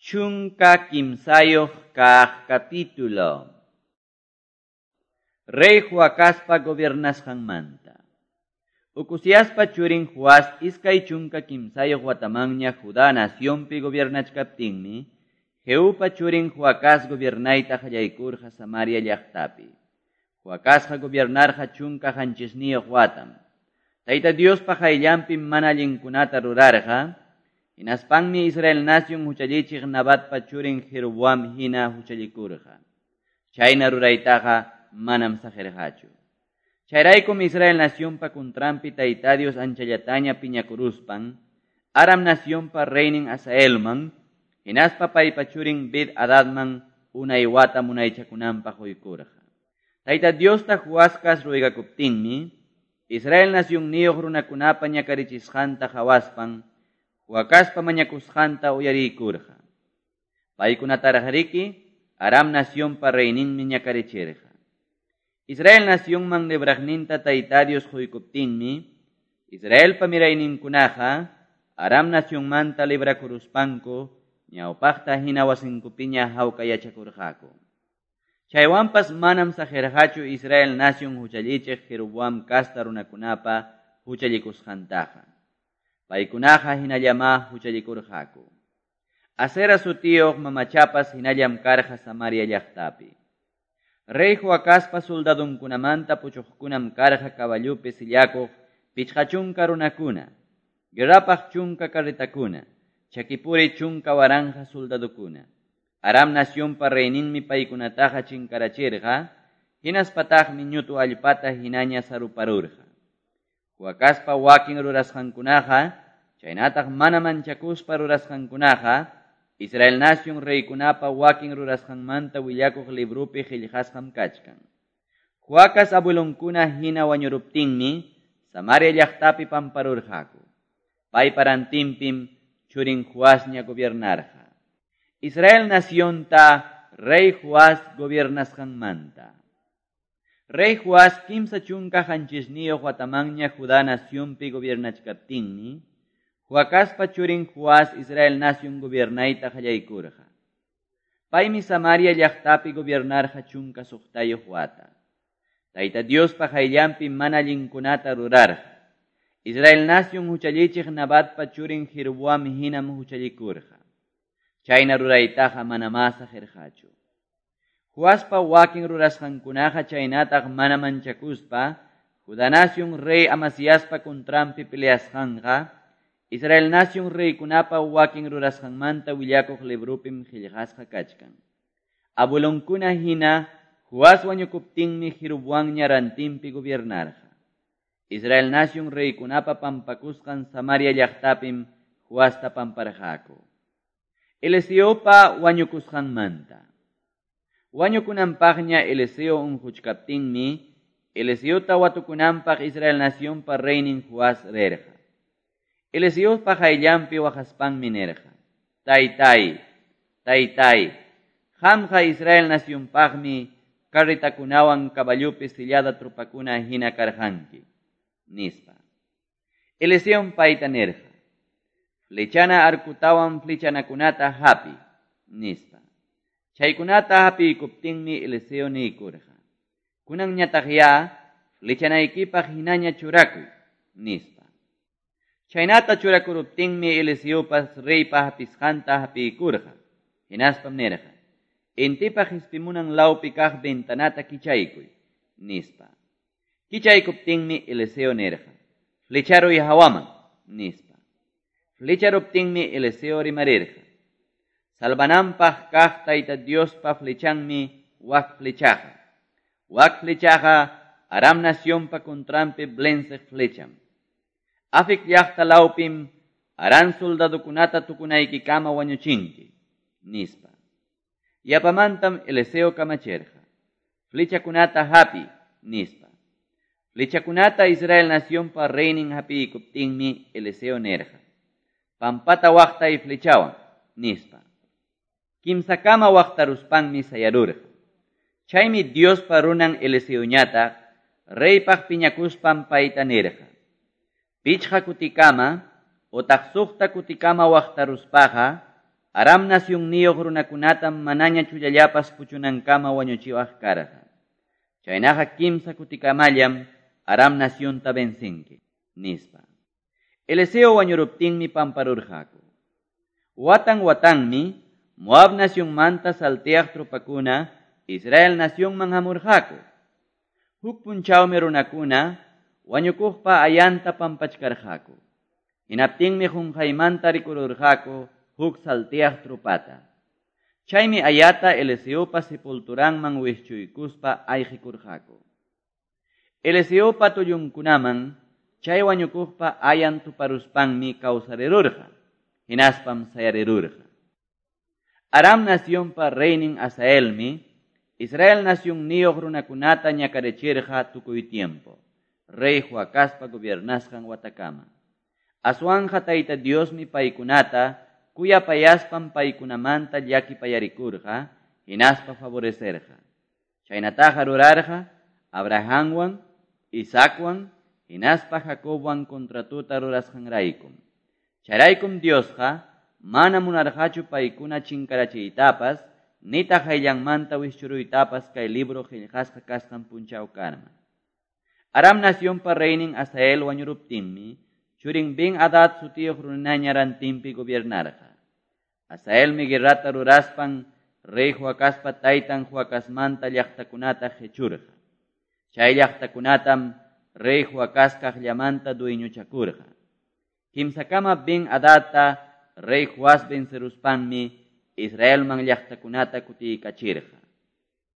13 kaq capítulo. Rey Joacazpa gobiernasqanmanta. Ocoziaspa churin Joás 23 watamanña Judá nacionpi gobiernachkaptinmi, Jehupa churin Joacaz gobiernayta qallaykurqa Samaria llaqtapi. Joacazqa gobiernarqa 17 watam. Tayta Diospa qayllanpi mana allinkunata rurarqa, hinaspanmi Israel nación huchallichiq Nabatpa churin Jeroboam hina huchallikurqa. Chayna ruraytaqa manam saqirqachu. Chayraykum Israel nacionpa kuntranpi Tayta Dios anchallataña piñakuruspan, Aram nacionpa reynin Hazaelman, hinaspa paypa churin Ben Hadadman unay wata munaychakunanpaq quykurqa. Tayta Diosta Joasqa ruegakuptinmi, Israel nacionniyuq runakunapa ñakarichisqanta qhawaspan, Joacazpa mañakusqanta uyariykurqa. Paykunataraqriki Aram nacionpa reyninmi ñakarichirqa. Israel nacionman libraqninta Tayta Dios quykuptinmi, Israelpa mirayninkunaqa Aram nacionmanta librakuruspanku ñawpaqta hina wasinkupiña hawka yachakurqaku. Chaywanpas manam saqirqachu Israel nación huchallichiq Jeroboam casta runakunapa huchallikusqantaqa. Paykunaqa hinallamá huchallikurqaku. Asera sutiyuq mamachapas hinallam karqa Samaria llaqtapi. Rey Joacazpa soldadunkunamanta puchuqkunam karqa caballupi sillakuq 50 runakuna, guerrapaq 10 carretakuna, chakipuri 10,000 soldadukuna. Aram nacionpa reyninmi paykunataqa chinkarachirqa, hinaspataqmi ñutu allpata hinaña saruparurqa. Joacazpa wakin rurasqankunaqa, chaynataq mana manchakuspa rurasqankunaqa, Israel nación reykunapa wakin rurasqanmanta willakuq librupi qillqasqam kachkan. Joacaz abuelonkuna hina wañuruptinmi, Samaria llaqtapi pamparurqaku. Paypa rantinpim churin Joasña gobiernarqa. Israel nacionta rey Joás gobiernasqanmanta. Rey Joás 37 watamanña Judá nacionpi gobiernachkaptinmi, Joacazpa churin Joás Israel nación gobiernayta qallaykurqa. Paymi Samaria llaqtapi gobiernarqa 16 wata. Tayta Diospa qayllanpi mana allinkunata rurarqa. Israel nación huchallichiq Nabatpa churin Jeroboam hinam huchallikurqa. Chayna ruraytaqa manamá saqirqachu. Joaspa wakin rurasqankunaqa chaynataq mana manchakuspa, Judá nación rey Amasiaspa kuntranpi peleasqanqa, Israel nación reykunapa wakin rurasqanmanta willakuq librupim qillqasqa kachkan. Abuelonkuna hina Joás wañukuptinmi Jeroboamña rantinpi gobiernarqa. Israel nación reykunapa pampakusqan Samaria llaqtapim Joasta pamparqaku. Eliseopa wañukusqanmanta. Wañukunanpaqña Eliseo unquchkaptinmi, Eliseota watukunanpaq Israel nacionpa reynin Joás rirqa. Eliseopa qayllanpi waqaspanmi nirqa: Taytay, taytay, qamqa Israel nacionpaqmi carretakunawan caballupi sillada tropakuna hina karqanki, nispa. Eliseom payta nirqa: Flechana arkutawan flechanakunata hapi, nispa. Chaykunata hapiykuptinmi Eliseo niykurqa: Kunanñataqya flechanaykipaq hinaña churakuy, nispa. Chaynata churakuruptinmi Eliseopas reypa hapisqanta hapiykurqa. Hinaspam nirqa: Intipa qispimunan lawpi kaq ventanata kichaykuy, nispa. Kichaykuptinmi Eliseo nirqa: Flecharuy hawaman, nispa. Flecharuptinmi Eliseo rimarirqa: Salvananpaq kaq Tayta Diospa flechanmi wak flechaqa. Wak flechaqa Aram nacionpa kuntranpi blenceq flecham. Afik llaqta lawpim Aram soldadukunata tukunaykikama wañuchinki, nispa. Yapamantam Eliseo kamachirqa: Flechakunata hapi, nispa. Flechakunata Israel nacionpa reynin hapiykuptinmi Eliseo nirqa: Pampata waqtay flechawan, nispa. Kimsakama waqtaruspanmi sayarurqa. Chaymi Diospa runan Eliseoñataq reypaq piñakuspan payta nirqa: 5 kutikama otaq 6 kutikama waqtaruspaqa Aram nacionniyuq runakunatam manaña chullallapas puchunankama wañuchiwaq karqa. Chaynaqa kimsa kutikamallam Aram nacionta vencinki, nispa. Eliseo wañuruptinmi pamparurqaku. Watan watanmi Moab nacionmanta salteaq tropakuna Israel nacionman hamurqaku. Huk punchawmi runakuna wañukuqpa ayanta pampachkarqaku. Hinaptinmi qunqaymanta rikururqaku huk salteaq tropata. Chaymi ayata Eliseopa sepulturanman wischuykuspa ayqikurqaku. Eliseopa tullunkunaman chay wañukuqpa ayan tuparuspanmi kawsarirurqa, hinaspam sayarirurqa. Aram nacionpa reynin Asaelmi, Israel nacionniyuq runakunata ñakarichirqa tukuy tiempo, rey Joacazpa gobiernasqan watakama. Aswanja Tayta Diosmi paykunata kuyapayaspan paykunamanta llakipayarikurqa, hinaspa favorecerqa. Chaynataqa rurarqa Abrahamwan, Isaacwan, hinaspa Jacobwan contratuta rurasqanraykum. Chayraykum Diosqa mana munarqachu paykuna chinkarachiytapas, nitaq hayllanmanta wischuruytapas kay libro qillqasqa kasqan punchawkarma. Aram nacionpa reynin Asael wañuruptinmi, churin Ben Hadad sutiyuq runaña rantinpi gobiernarqa. Asaelmi guerrata ruraspan rey Joacazpa taytan Joacazmanta llaqtakunata qechurqa. Chay llaqtakunatam rey Joacaz kaqllamanta dueñochakurqa. Kimsakama Ben Hadadta rey Joás venceruspanmi Israelman llaqtakunata kutiykachirqa.